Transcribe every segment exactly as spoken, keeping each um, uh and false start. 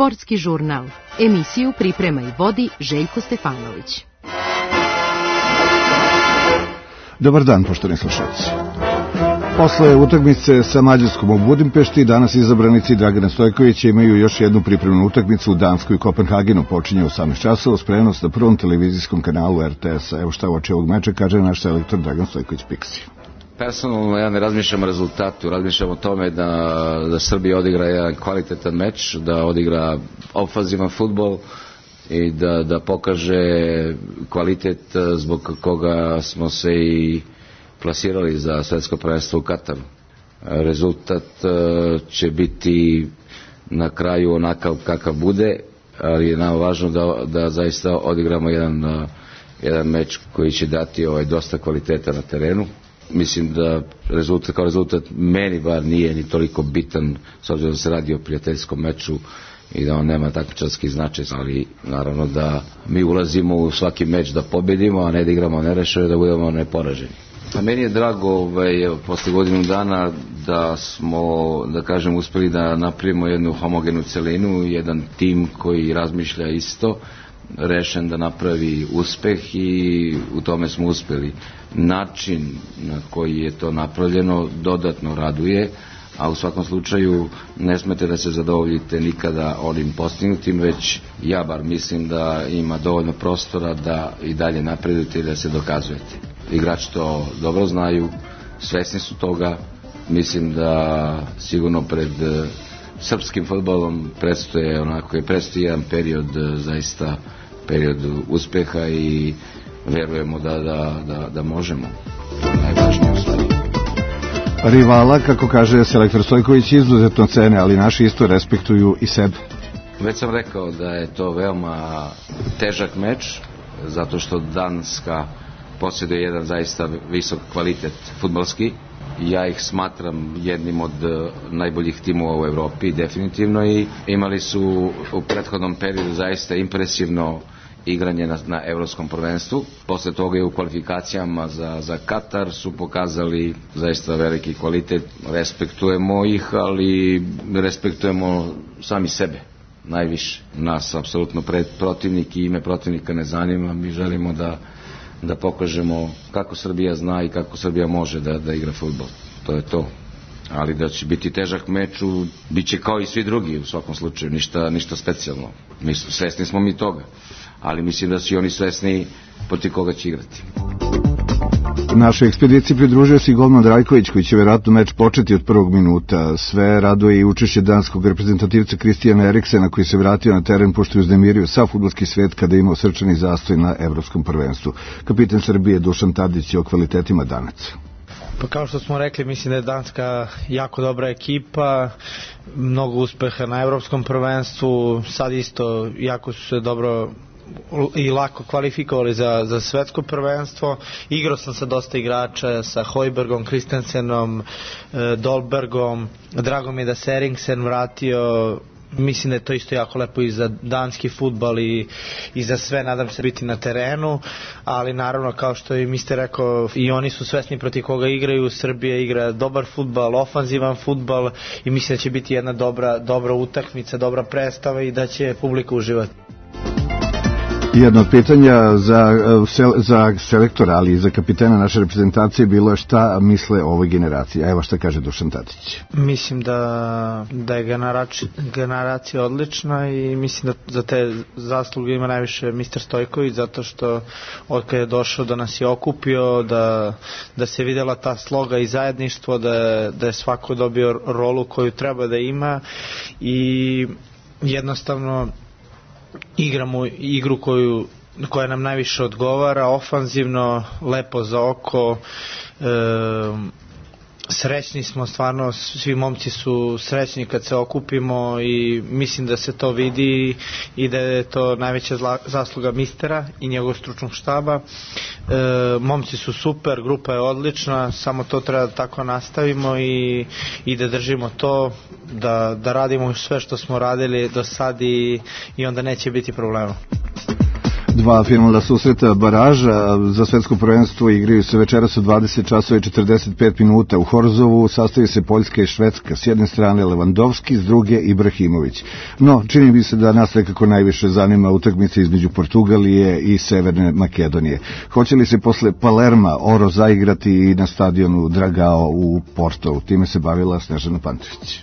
Sportski žurnal. Emisiju priprema i vodi Željko Stefanović. Dobar dan, poštovani slušalci. Posle utakmice sa Mađarskom u Budimpešti, danas izabranici Dragana Stojkovića imaju još jednu pripremnu utakmicu u Danskoj Kopenhagenu. Počinje u osamnaest časova, spremnost na prvom televizijskom kanalu R T S-a. Evo šta uoči ovog meča kaže naš selektor Dragan Stojković Piksi. Personalno ja ne razmišljam o rezultatu, razmišljam o tome da, da Srbija odigra jedan kvalitetan meč, da odigra ofanzivan fudbal i da, da pokaže kvalitet zbog koga smo se i plasirali za svetsko prvenstvo u Kataru. Rezultat će biti na kraju onakav kakav bude, ali je nam važno da, da zaista odigramo jedan, jedan meč koji će dati ovaj, dosta kvaliteta na terenu. Mislim da rezultat, kao rezultat meni bar nije ni toliko bitan, s obzirom da se radi o prijateljskom meču i da on nema takmičarski značaj, ali naravno da mi ulazimo u svaki meč da pobedimo, a ne da igramo nerešeno, da budemo neporaženi. A meni je drago ovaj, posle godinu dana da smo, da kažem, uspeli da napravimo jednu homogenu celinu, jedan tim koji razmišlja isto, rešen da napravi uspeh i u tome smo uspeli. Način na koji je to napravljeno dodatno raduje, a u svakom slučaju ne smete da se zadovoljite nikada onim postignutim, već ja bar mislim da ima dovoljno prostora da i dalje napredujete i da se dokazujete. Igrači to dobro znaju, svesni su toga, mislim da sigurno pred srpskim fudbalom predstoje onako je predstoji jedan period, zaista period uspeha i verujemo da, da, da, da možemo. Najvažnije u stvari. Rivala, kako kaže selektor Stojković, izuzetno cene, ali naši isto respektuju i sebe. Već sam rekao da je to veoma težak meč, zato što Danska posjeduje jedan zaista visok kvalitet fudbalski. Ja ih smatram jednim od najboljih timova u Evropi, definitivno, i imali su u prethodnom periodu zaista impresivno igranje na, na evropskom prvenstvu. Posle toga je u kvalifikacijama za, za Katar su pokazali zaista veliki kvalitet. Respektujemo ih, ali respektujemo sami sebe najviše. Nas apsolutno pred protivnik i ime protivnika ne zanima. Mi želimo da, da pokažemo kako Srbija zna i kako Srbija može da, da igra fudbal. To je to. Ali da će biti težak meč, bit će kao i svi drugi u svakom slučaju, ništa, ništa specijalno. Mi, svesni smo mi toga, ali mislim da su i oni svesni protiv koga će igrati. Našoj ekspediciji pridružio se i golman Drajković, koji će vjerojatno meč početi od prvog minuta. Sve raduje i učešće danskog reprezentativca Kristijana Eriksena, koji se vratio na teren pošto je uznemirio sav fudbalski svet kada je imao srčani zastoj na evropskom prvenstvu. Kapitan Srbije Dušan Tadić je o kvalitetima Danaca. Pa kao što smo rekli, mislim da je Danska jako dobra ekipa, mnogo uspeha na evropskom prvenstvu, sad isto jako su se dobro i lako kvalifikovali za, za svetsko prvenstvo. Igrao sam sa dosta igrača, sa Hojbergom, Kristensenom, Dolbergom, drago mi je da se Eriksen vratio. Mislim da je to isto jako lepo i za danski fudbal i, i za sve, nadam se biti na terenu, ali naravno kao što i mister rekao, i oni su svesni protiv koga igraju. Srbija igra dobar fudbal, ofanzivan fudbal i mislim da će biti jedna dobra, dobra utakmica, dobra predstava i da će publika uživati. Jedno od pitanja za, za selektora, ali i za kapitena naše reprezentacije bilo je šta misle o ovoj generaciji. A evo šta kaže Dušan Tadić. Mislim da, da je generacija, generacija odlična i mislim da za te zasluge ima najviše mister Stojković, zato što od kada je došao da nas je okupio, da, da se videla ta sloga i zajedništvo, da, da je svako dobio rolu koju treba da ima i jednostavno igramo igru koju, koja nam najviše odgovara, ofanzivno, lepo za oko, e, srećni smo, stvarno svi momci su srećni kad se okupimo i mislim da se to vidi i da je to najveća zasluga mistera i njegovog stručnog štaba. E, momci su super, grupa je odlična, samo to treba da tako nastavimo i, i da držimo to, da, da radimo sve što smo radili do sad i, i onda neće biti problema. Dva finalna susreta baraža za svetsko prvenstvo igraju se večeras u dvadeset časova i četrdeset pet minuta. U Horzovu sastoji se Poljska i Švedska. S jedne strane Lewandowski, s druge Ibrahimović. No, čini mi se da nas nekako najviše zanima utakmica između Portugalije i Severne Makedonije. Hoće li se posle Palerma Oro zaigrati i na stadionu Dragao u Portou? Time se bavila Snežana Pantović.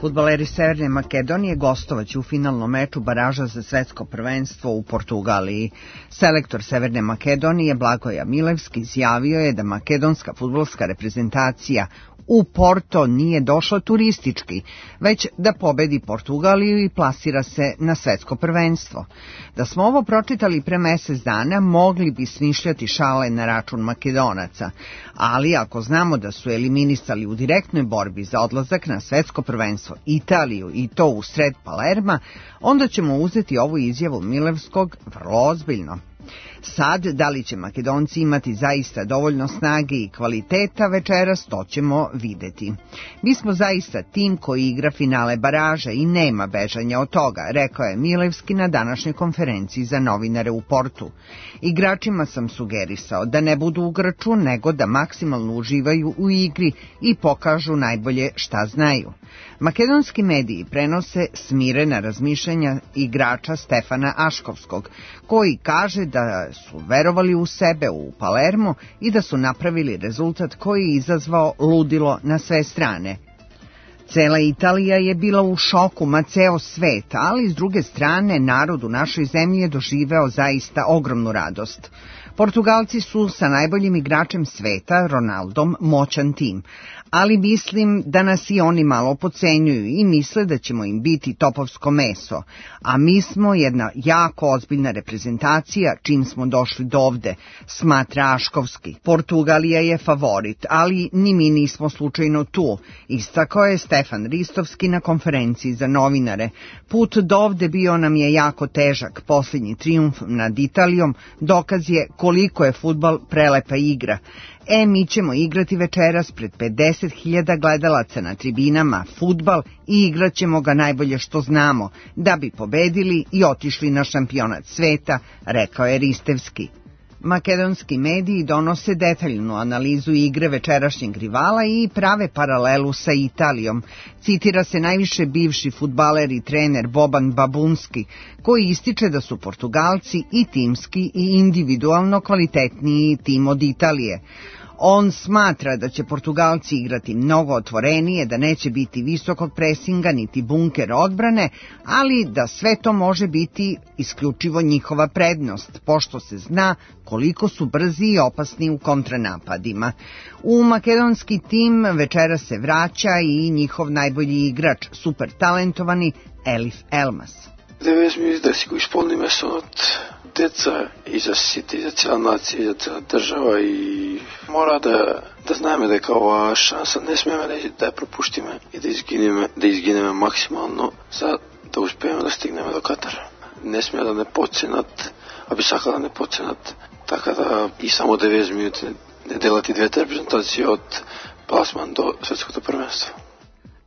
Fudbaleri Severne Makedonije gostovaće u finalnom meču baraža za svetsko prvenstvo u Portugaliji. Selektor Severne Makedonije Blagoje Milevski izjavio je da makedonska fudbalska reprezentacija u Porto nije došla turistički, već da pobedi Portugaliju i plasira se na svetsko prvenstvo. Da smo ovo pročitali pre mesec dana, mogli bi smišljati šale na račun Makedonaca, ali ako znamo da su eliminisali u direktnoj borbi za odlazak na svetsko prvenstvo Italiju i to u sred Palerma, onda ćemo uzeti ovu izjavu Milevskog vrlo ozbiljno. Sad, da li će Makedonci imati zaista dovoljno snage i kvaliteta večeras, to ćemo videti. Mi smo zaista tim koji igra finale baraža i nema bežanja od toga, rekao je Milevski na današnjoj konferenciji za novinare u Portu. Igračima sam sugerisao da ne budu u grču, nego da maksimalno uživaju u igri i pokažu najbolje šta znaju. Makedonski mediji prenose smirena razmišljanja igrača Stefana Aškovskog, koji kaže da su verovali u sebe u Palermo i da su napravili rezultat koji je izazvao ludilo na sve strane. Cela Italija je bila u šoku, ma ceo svet, ali s druge strane narod u našoj zemlji je doživeo zaista ogromnu radost. Portugalci su sa najboljim igračem sveta, Ronaldom, moćan tim, ali mislim da nas i oni malo podcenjuju i misle da ćemo im biti topovsko meso, a mi smo jedna jako ozbiljna reprezentacija čim smo došli do ovde, smatra Aškovski. Portugalija je favorit, ali ni mi nismo slučajno tu, istakao je Stefan Ristovski na konferenciji za novinare. Put do ovde bio nam je jako težak, posljednji trijumf nad Italijom dokaz je koliko je fudbal prelepa igra. E, mi ćemo igrati večeras pred pedeset hiljada gledalaca na tribinama fudbal i igrat ćemo ga najbolje što znamo, da bi pobedili i otišli na šampionat sveta, rekao je Ristevski. Makedonski mediji donose detaljnu analizu igre večerašnjeg rivala i prave paralelu sa Italijom. Citira se najviše bivši fudbaler i trener Boban Babunski, koji ističe da su Portugalci i timski i individualno kvalitetniji tim od Italije. On smatra da će Portugalci igrati mnogo otvorenije, da neće biti visokog presinga niti bunker odbrane, ali da sve to može biti isključivo njihova prednost, pošto se zna koliko su brzi i opasni u kontranapadima. U makedonski tim večera se vraća i njihov najbolji igrač, super talentovani Elif Elmas. devedeset minuta da si го изпълниме от деца и за сите, и за цяла нация, и за цяла държава и мора да, да знаеме дека ова шанса не смеме да, да ја пропуштиме и да изгинеме, да изгинеме максимално за да успееме да стигнеме до Катар. Не смея да не подценат, а би сакал да не подценат, така да и само деветдесет минути не делат и двете репрезентации од пласман до светското првенство.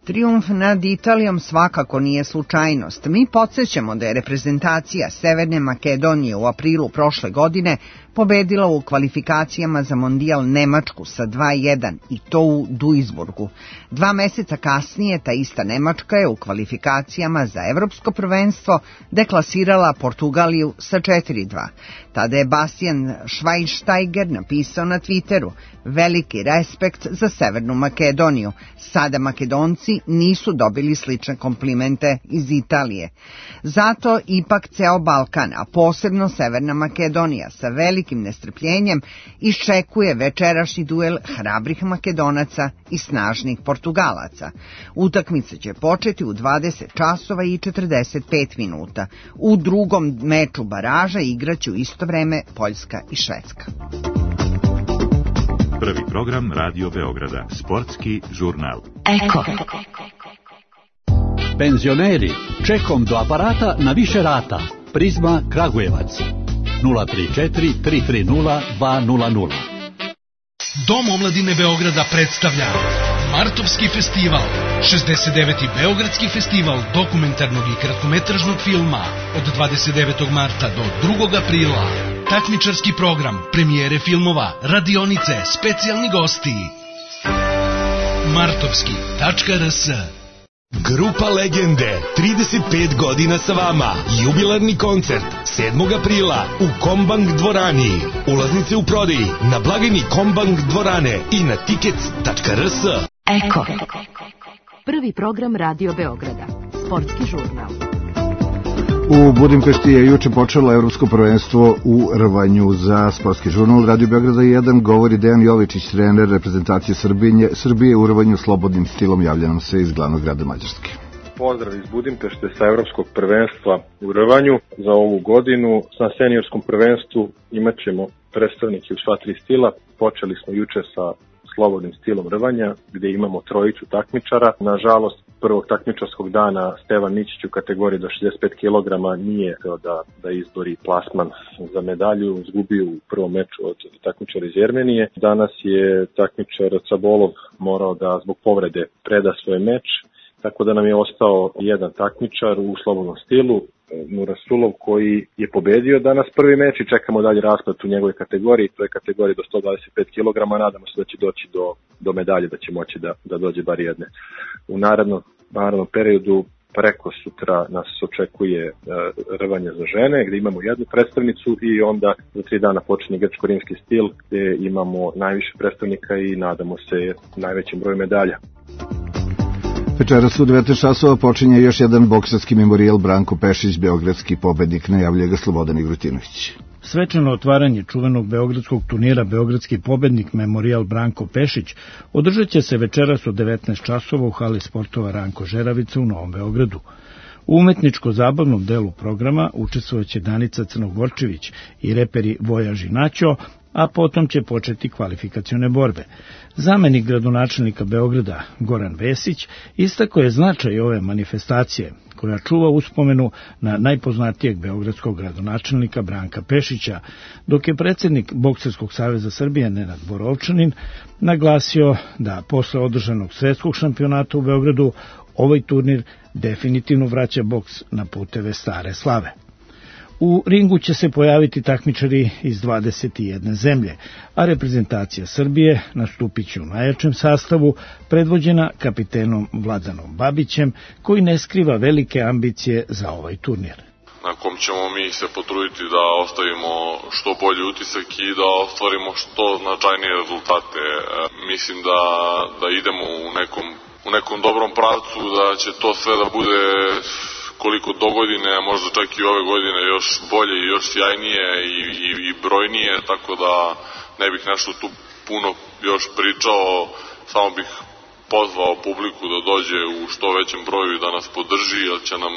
Trijumf nad Italijom svakako nije slučajnost. Mi podsjećamo da je reprezentacija Severne Makedonije u aprilu prošle godine pobedila u kvalifikacijama za mondijal Nemačku sa dva jedan i to u Duisburgu. Dva meseca kasnije ta ista Nemačka je u kvalifikacijama za evropsko prvenstvo deklasirala Portugaliju sa četiri dva. Tada je Bastian Schweinsteiger napisao na Twitteru: veliki respekt za Severnu Makedoniju. Sada Makedonci nisu dobili slične komplimente iz Italije. Zato ipak ceo Balkan, a posebno Severna Makedonija, sa velikim nestrpljenjem iščekuje večerašnji duel hrabrih Makedonaca i snažnih Portugalaca. Utakmica će početi u dvadeset časova i četrdeset pet minuta. U drugom meču baraža igraće u isto vreme Poljska i Švedska. Prvi program Radio Beograda, sportski žurnal. Eko. Penzioneri, čekom do aparata na više rata. Prizma Kragujevac. nula tri četiri tri tri nula dva nula nula. Dom omladine Beograda predstavlja Martovski festival, šezdeset deveti Beogradski festival dokumentarnog i kratkometražnog filma od dvadeset devetog marta do drugog aprila. Takmičarski program, premijere filmova, radionice, specijalni gosti. martovski tačka r s. Grupa Legende, trideset pet godina sa vama. Jubilarni koncert sedmog aprila u Kombank dvorani. Ulaznice u prodaji na blagajni Kombank dvorane i na tickets tačka r s. Eko. Prvi program Radio Beograda. Sportski žurnal. U Budimpešti je juče počelo evropsko prvenstvo u rvanju. Za sportski žurnal Radio Beograda jedan govori Dejan Jovičić, trener reprezentacije Srbije, Srbije u rvanju slobodnim stilom. Javlja nam se iz glavnog grada Mađarske. Pozdrav iz Budimpešte sa evropskog prvenstva u rvanju za ovu godinu. Na seniorskom prvenstvu imat ćemo predstavnike u sva tri stila. Počeli smo juče sa slobodnim stilom rvanja, gdje imamo trojicu takmičara. Nažalost, prvog takmičarskog dana Stevan Ničić u kategoriji do šezdeset pet kilograma nije da, da izbori plasman za medalju, izgubio u prvom meču od takmičara iz Jermenije. Danas je takmičar Cabolov morao da zbog povrede preda svoj meč, tako da nam je ostao jedan takmičar u slobodnom stilu, Nurasulov, koji je pobedio danas prvi meč i čekamo dalje rasplet u njegove kategoriji, to je kategorija do sto dvadeset pet kilograma, nadamo se da će doći do, do medalje, da će moći da, da dođe bar jedne. U narednom, narednom periodu preko sutra nas očekuje uh, rvanje za žene, gdje imamo jednu predstavnicu i onda za tri dana počinje grčko-rimski stil, gdje imamo najviše predstavnika i nadamo se najvećem broju medalja. Večeras u devetnaest časova počinje još jedan bokserski memorijal. Branko Pešić, beogradski pobednik, najavljuje ga Slobodan Igrutinović. Svečano otvaranje čuvenog beogradskog turnira Beogradski pobednik memorijal Branko Pešić održat će se večeras u devetnaest časova u hali sportova Ranko Žeravica u Novom Beogradu. U umetničko-zabavnom delu programa učestvovaće Danica Crnogorčević i reperi Vojaž i Naćo, a potom će početi kvalifikacione borbe. Zamenik gradonačelnika Beograda Goran Vesić istakao je značaj ove manifestacije, koja čuva uspomenu na najpoznatijeg beogradskog gradonačelnika Branka Pešića, dok je predsjednik Bokserskog saveza Srbije Nenad Borovčanin naglasio da posle održanog svetskog šampionata u Beogradu ovaj turnir definitivno vraća boks na puteve stare slave. U ringu će se pojaviti takmičari iz dvadeset jedne zemlje, a reprezentacija Srbije nastupit će u najjačem sastavu, predvođena kapitenom Vladanom Babićem, koji ne skriva velike ambicije za ovaj turnir. Na kom ćemo mi se potruditi da ostavimo što bolji utisak i da ostvarimo što značajnije rezultate. Mislim da, da idemo u nekom, u nekom dobrom pravcu, da će to sve da bude koliko do godine, a možda čak i ove godine još bolje i još sjajnije i, i, i brojnije, tako da ne bih nešto tu puno još pričao, samo bih pozvao publiku da dođe u što većem broju i da nas podrži, jer će nam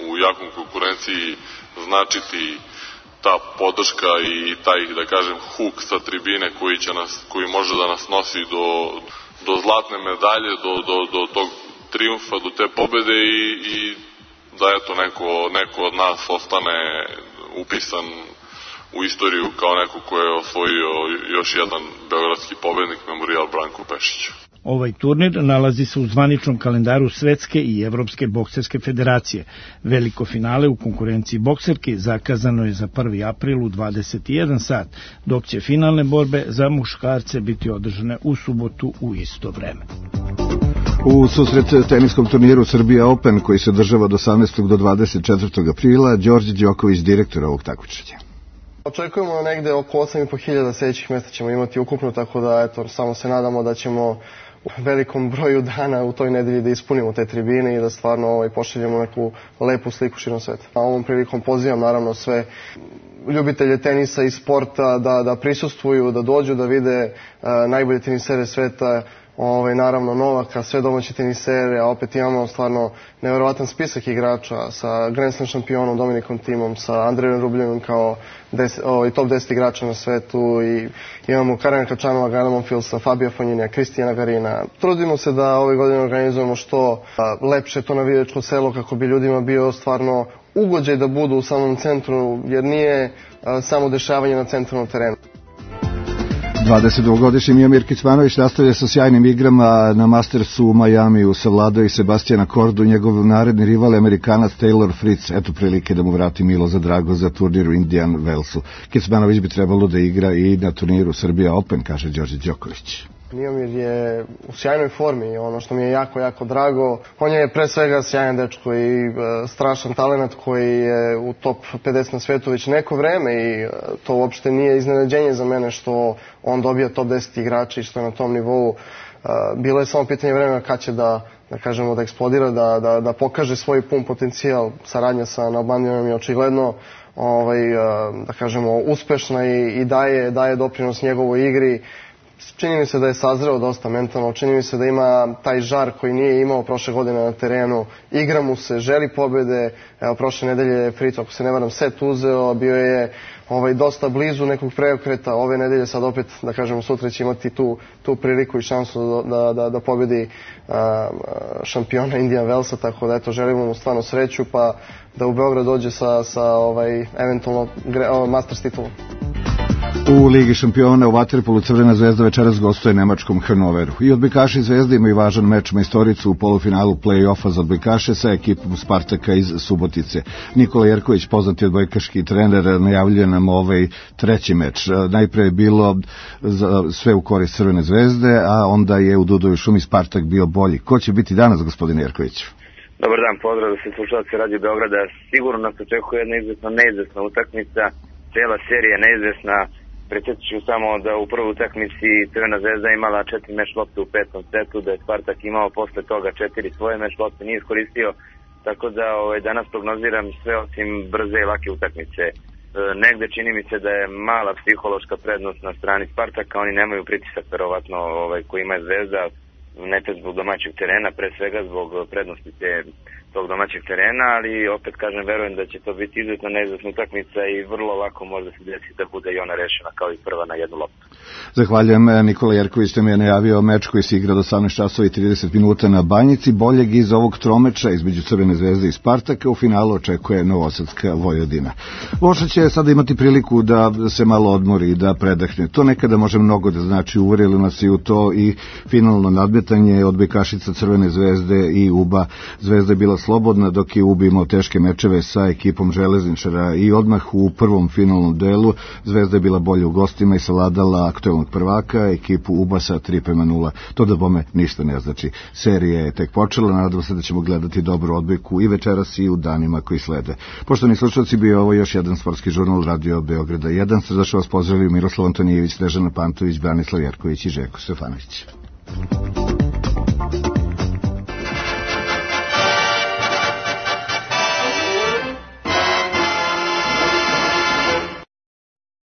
u jakom konkurenciji značiti ta podrška i taj, da kažem, huk sa tribine koji, će nas, koji može da nas nosi do, do zlatne medalje, do, do, do tog triumfa, do te pobede i, i da eto neko, neko od nas ostane upisan u istoriju kao neko ko je osvojio još jedan beogradski pobednik, memorijal Branku Pešiću. Ovaj turnir nalazi se u zvaničnom kalendaru Svetske i Evropske bokserske federacije. Veliko finale u konkurenciji bokserki zakazano je za prvi april u dvadeset jedan sat, dok će finalne borbe za muškarce biti održane u subotu u isto vreme. U susret teniskom turniru Srbija Open, koji se održava od osamnaestog do dvadeset četvrtog aprila, Đorđe Đoković, direktor ovog takmičenja. Očekujemo negde oko osam i po hiljada sledećih mesta ćemo imati ukupno, tako da eto, samo se nadamo da ćemo u velikom broju dana u toj nedelji da ispunimo te tribine i da stvarno ovaj, pošaljemo neku lepu sliku širom sveta. A ovom prilikom pozivam naravno sve ljubitelje tenisa i sporta da, da prisustvuju, da dođu da vide uh, najbolje tenisere sveta, Ove, naravno Novaka, sve domaće tenisere, a opet imamo stvarno nevjerovatan spisak igrača sa Grand Slam šampionom Dominikom Thimom, sa Andrejom Rubljevom kao des, o, top deset igrača na svetu i imamo Karena Kačanova, Gana Monfilsa, Fabija Fonjinija, Kristijana Garina. Trudimo se da ove godine organizujemo što a, lepše to navijačko selo kako bi ljudima bio stvarno ugođaj da budu u samom centru, jer nije a, samo dešavanje na centralnom terenu. dvadesetdvogodišnji Miomir Kecmanović nastavlja sa sjajnim igrama na Mastersu u Majamiju, savladao i Sebastijana Kordu, njegov naredni rival je Amerikanac Taylor Fritz. Eto prilike da mu vrati milo za drago za turnir u Indian Wellsu. Kecmanović bi trebalo da igra i na turniru Srbija Open, kaže Đorđe Đoković. Miomir je u sjajnoj formi, ono što mi je jako, jako drago. On je pre svega sjajan dečko i e, strašan talent koji je u top pedeset na svetu već neko vreme i e, to uopšte nije iznenađenje za mene što on dobija top deset igrača i što je na tom nivou. E, bilo je samo pitanje vremena kad će da, da kažemo, da eksplodira, da, da, da pokaže svoj pun potencijal. Saradnja sa Nalbandijanom je očigledno ovaj, e, da kažemo, uspešna i, i daje, daje doprinos njegovoj igri. Čini mi se da je sazreo dosta mentalno, čini mi se da ima taj žar koji nije imao prošle godine na terenu, igra mu se, želi pobede. Evo, prošle nedelje je Fritz, ako se ne varam, set uzeo, bio je ovaj, dosta blizu nekog preokreta. Ove nedelje sad opet, da kažemo, sutra će imati tu, tu priliku i šansu da, da, da pobedi a, šampiona Indian Wellsa, tako da eto, želimo mu stvarno sreću, pa da u Beograd dođe sa, sa ovaj, eventualno o, Masters titulom. U Ligi šampiona u vaterpolu Crvena zvezda večeras gostuje nemačkom Hannoveru. I odbojkaši Zvezde imaju važan meč majstoricu u polufinalu play-offa za odbojkaše sa ekipom Spartaka iz Subotice. Nikola Jerković, poznati odbojkaški trener, najavljuje nam ovaj treći meč. Najpre je bilo sve u korist Crvene zvezde, a onda je u Dudovoj šumi Spartak bio bolji. Ko će biti danas, gospodine Jerković? Dobar dan, pozdrav da se slušalci Radio Beograda. Sigurno nas očekuje jedna izuzetno neizvesna utakmica, cijela serija neizvesna. Predsjetit ću samo da u prvoj utakmici Crvena zvezda imala četiri meš lopte u petom setu, da je Spartak imao posle toga četiri svoje meš lopte, nije iskoristio, tako da ovaj, danas prognoziram sve osim brze i lake utakmice. E, negde čini mi se da je mala psihološka prednost na strani Spartaka, oni nemaju pritisak verovatno ovaj, koji ima Zvezda, nekad zbog domaćeg terena, pre svega zbog prednosti te, tog domaćeg terena, ali opet kažem, verujem da će to biti izuzetno neizvesna utakmica i vrlo lako može se desiti da bude i ona rešena kao i prva na jednu loptu. Zahvaljujem. Nikola Jerković nam je najavio meč koji se igra do osamnaest časova i trideset minuta na Banjici. Boljeg iz ovog tromeča između Crvene zvezde i Spartaka u finalu očekuje Novosadska Vojvodina. Voša će sada imati priliku da se malo odmori i da predahne. To nekada može mnogo da znači, uverili nas i u to i finalno nadmetanje odbojkašica Crvene zvezde i Uba. Zvezda je bila slobodna dok je Uba imao teške mečeve sa ekipom Železničara i odmah u prvom finalnom delu Zvezda je bila bolje u gostima i savladala aktuelnog prvaka, ekipu Uba sa tri prema nula. To da bome ništa ne znači. Serija je tek počela, nadam se da ćemo gledati dobru odbojku i večeras i u danima koji slede. Poštovani slušalci, bio ovo još jedan sportski žurnal Radio Beograda jedan. Srdačno vas pozdravljaju Miroslav Antonijević, Snežana Pantović, Branislav Jerković i Željko Stefanović.